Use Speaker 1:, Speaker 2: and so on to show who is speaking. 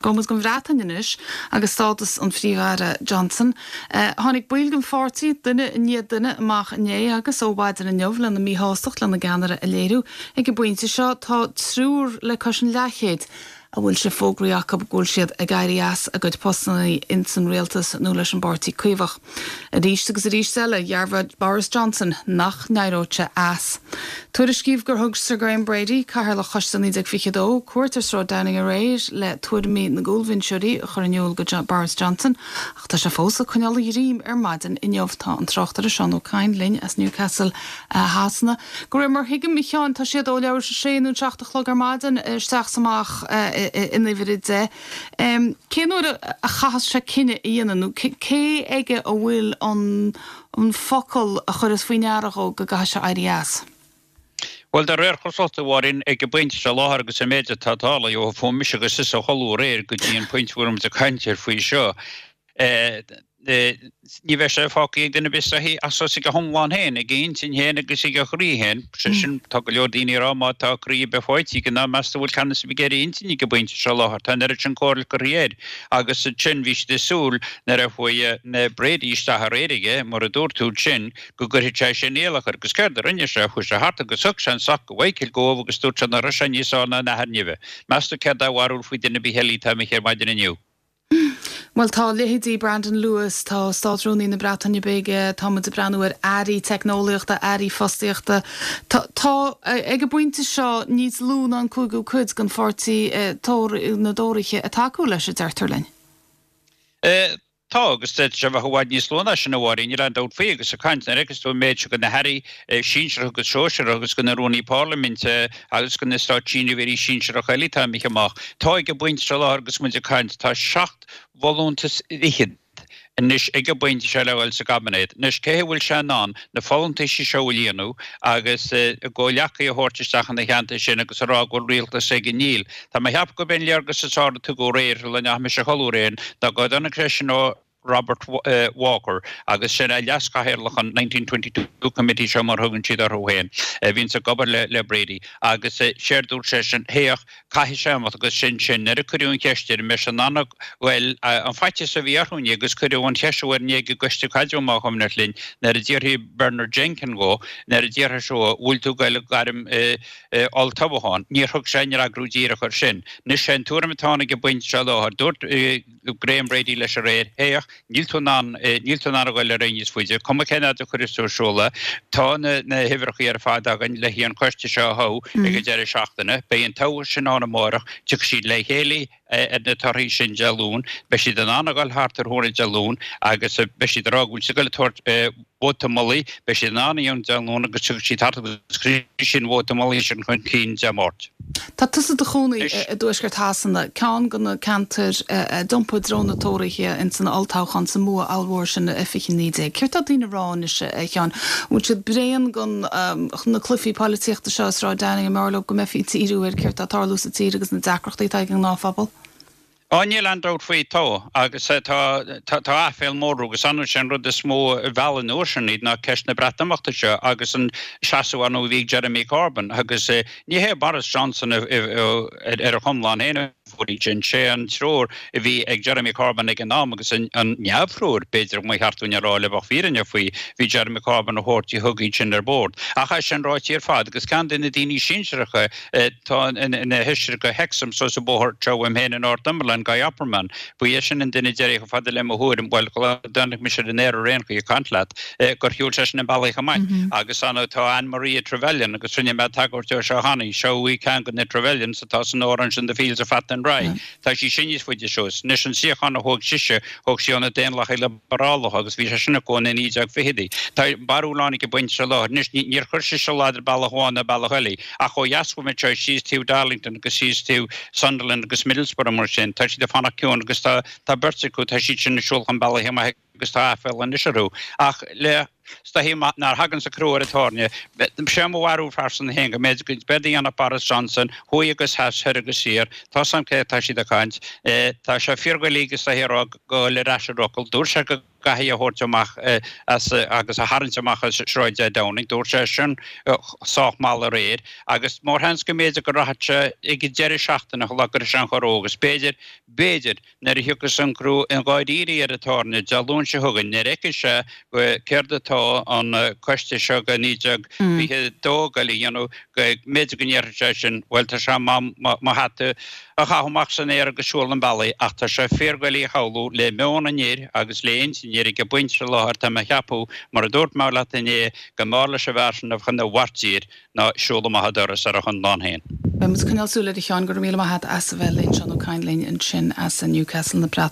Speaker 1: Gabhfaidh muid don Bhreatain anois agus stádas an Phríomh-Aire Johnson. Tháinig baill den pháirtí, duine i ndiaidh duine, amach inné agus ó mhaidin inniu lena míshástacht lena gceannaire a léiriú. Ag an bpointe seo tá triúr le cois an leathchéid a bhfuil sé fógraithe acu go bhfuil siad ag éirí as a gcuid postanna ins an rialtas nó leis an bPáirtí Caomhach. Arís agus arís eile, dhearbhaigh Boris Johnson nach n-éireodh sé as. Tuairiscíodh gur thug Sir Graham Brady, Cathaoirleach Choiste 1922, cuairt ar Sráid Downing aréir le tuairimí na gcúlbhinseoirí a chur in iúl go Boris Johnson ach tá sé fós ag coinneáil a dhroim ar maidin inniu. Tá an tráchtaire Seán Ó Cadhain linn as Newcastle Shasana. De réir mar a thuigim, a Sheáin, tá siad ó leathuair tar éis a sé nó an 7 a chlog ar maidin isteach 's amach in uimhir 10. Cén uair a chaithfeas sé cinneadh a dhéanamh nó cé aige a bhfuil an focal a chuirfeas faoi ndeara dhó go gcaithfidh sé éirí as?
Speaker 2: Bhuel, de réir cosúlachta, a Mháirín, ag an bpointe seo i láthair agus an méid atá tarlaithe ó fuair mise agus tusa a chodladh aréir go dtí an pointe a bhfuil muid ag caint air faoi seo, ní bheidh sé fágtha ag duine ar bith is dóichí ach suas ag a hiomlán féin, ag a intinn féin agus ag a chroí féin. Sé sin, tá go leor daoine ag rá má tá croí ar bith faighte aige ná meas tú an bhfuil ceannas ar bith ar a intinn ag an bpointe seo i láthair. Tá an oiread sin comhairle curtha air agus ansin bhí siad ag súil nuair a chuaigh Brady isteach aréir aige, mar a dúirt tú ansin, go gcuirfeadh sé sin iallach air. Agus céard a rinne sé? Chuaigh sé thart agus thug sé an soc go Mhichael Gove agus dúirt sé nach raibh sé níos fearr ná an athair nimhe. Meas tú céard é a bharúil faoi duine ar bith eile atá imithe ar maidin inniu?
Speaker 1: Bhuel, tá leithéidí Brandon Lewis, tá Státrúnaí na Breataine Bige, tá muid ag breathnú ar airí teicneolaíochta, airí fostaíochta. Tá, tá, ag an bpointe seo, níos lú ná an cúigiú cuid den pháirtí, na dTóraithe, ag tacú leis, a deirtear linn.
Speaker 2: Tá, agus d'fhéadfadh sé a bheith i bhfad níos lú ná sin, a Mháirín, níl aon dabht faoi, agus ag caint, nuair a fheiceas tú an méid seo de na hairí sinsearacha agus sóisearacha agus de na rúnaí parlaiminte agus de na státseirbhísigh sinsearacha eile atá imithe amach. Tá ag an bpointe seo i láthair agus muid ag caint, tá seacht bhfolúntas fhichead anois ag an bpointe seo le dhul sa gcaibinéad. Anois, cé hé a bhfuil sé in ann na folúntaisí seo a líonadh agus a gcomhghleacaithe a thabhairt isteach ina theannta sin agus a rá go bhfuil rialtas aige? Níl. Tá mé a cheapadh gurb é an léargas is fearr a tugadh aréir sula ndeachaigh mise a chodladh aréir ná go dtáinig sé sin ó Robert Walker agus sin é leaschathaoirleach an 1922 Committee seo mar a thugann siad orthu féin a bhíonns ag obair le Brady agus séard dúirt seisean féach caithfidh sé imeacht agus sin sin nuair a cuireadh an cheist air an mbeidh sé in ann a ghoil an faitíos a bhí orthu inné agus cuireadh an cheist seo air inné ag an gCoiste Caidrimh más cuimhneach linn nuair a d'fhiafraigh Bernard Jenkin dhó nuair a d'fhiafraigh sé dhó bhfuil tú ag goil ag gairm olltoghchán. Níor thug sé aon fhreagra díreach air sin. Anois sé an tuairim atá ann ag an bpointe seo i láthair. Dúirt Graham Brady leis aréir, Féach, níl tú in ann, níl tú in ann a ghoil ar aghaidh níos faide. Cuma cén fhad a chuirfeas tú ar siúl é. Tá na na huimhreacha ar fad againn le haghaidh an coiste seo a thoghadh ag an deireadh seachtaine. Beidh an toghadh sin ann amárach. Tiocfaidh siad le chéile ar na torthaí sin Dé Luain. Beidh siad in ann a ghoil thart ar thráthnóna Dé Luain agus beidh siad ag rá go bhfuil siad ag goil ag tabhairt vóta mullaigh. Beidh siad in ann a dhéanamh Dé Luain agus tiocfaidh siad thart agus cuirfidh siad an vóta mullaigh sin chun cinn Dé Máirt.
Speaker 1: Tá tusa i do chónaí i dtuaisceart Shasana, ceann de na ceantair a d'iompaigh i dtreo na Tóraithe ins an olltoghchán sa mbua ollmhór sin i 2019. Céard tá daoine a rá anois, a Sheáin? An bhfuil siad bréan den na cluichí polaitíochta seo i Sráid Downing? An mb'fhearr leo go mbeifí ag díriú ar céard tá ag tarlú sa tír agus na deacrachtaí atá ag an ngnáthphobal?
Speaker 2: Á, níl aon dabht faoi, tá. Agus tá, tá, tá aiféal mór orthu agus ar ndóigh sé an rud is mó a mheall an uair sin iad ná ceist na Breatimeachta seo agus an seasamh ar ndóigh a bhí ag Jeremy Corbyn agus ní hé Boris Johnson ar a chonlán féin a fuair iad sin, sé an treoir a bhí ag Jeremy Corbyn ag an am agus an neamhthreoir, b'fhéidir, ba cheart dúinn a rá le bheadh fírinne faoi, bhí Jeremy Corbyn a thabhairt a thug iad sin ar bord. Ach é sin ráite ar fad agus ceann de na daoine sinsearacha Atá ina fheisire go Hexham suas an bóthar seo uaim féin i Northumberland, Guy Opperman. Ba é sin an duine deiridh chomh fada le mo thuairim, bhuel, tháinig mise ar an aer ar aon chaoi ag caint leat, gur shiúil seisean an bealach amach. Agus ar ndóigh tá Anne Maria Trevelyan, agus rinne mé tagairt dó seo cheana, seo í ceann de na Trevelyans atá san amhrán sin The Fields Are Fat and Dry. Tá sí sin níos faide suas. Anois an suíochán a thóg sise, thóg sí ó na Daonlathaigh Liobarálacha agus bhí sé sin acu ó na 1920idí. Tá barúil ann ag an bpointe seo i láthair. Anois níor chuir sise a laghad ar bealach amháin ná bealach eile. Ach ó dheas uaim anseo síos taobh Darlington agus síos taobh Sunderland agus Middlesbrough mar sin, tá siad ag fanacht ciúin agus tá tá beirt acu, tá siad sin ag siúl chun bealaigh amach agus tá aiféal anois orthu. Ach le. Is dóichí nuair a thaganns an crú ar an tairne, sé mo bharúil phearsanta féin go mb'fhéidir go b'éard a dhéanfadh Boris Johnson, thuaidh agus theas, thoir agus thiar, tá 's a'm cé atá siad ag caint, tá sé fíordhoiligh is dóichí a rá goil ar ais ar fhocal, dúirt sé go gcaithfí é a thabhairt amach as agus a tharraingt amach as Sráid Downing, dúirt sé sin sách mall aréir agus mórsheans go mb'fhéidir go rachadh sé ag an deireadh seachtaine shula gcuirfidh sé an chorr agus b'fhéidir, b'fhéidir, Nuair a thiocfas an crú i ndáiríre ar an tairne Dé Luain seo chugainn, nuair a fheicfidh sé céard atá an coiste seo de 1922 ag goil a dhéanamh, go mb'fhéidir go ndéarfaidh sé sin, bhuel, tá sé in am mo hata a chaitheamh amach san aer agus siúl an bealaigh, ach tá sé fíordhoiligh a shamhlú le meon an fhir agus le intinn an fhir ag an bpointe seo i láthair, tá mé a cheapadh, mar a dúirt mé leat inné, go mb'fhearr leis an bhfear sin a bheith ina mhairtír ná siúl amach an doras ar a chonlán féin.
Speaker 1: Beidh muid ag coinneáil súil air a Sheáin, go raibh míle maith agat as a bheith linn, Seán Ó Cadhain linn ansin as Newcastle na Breataine.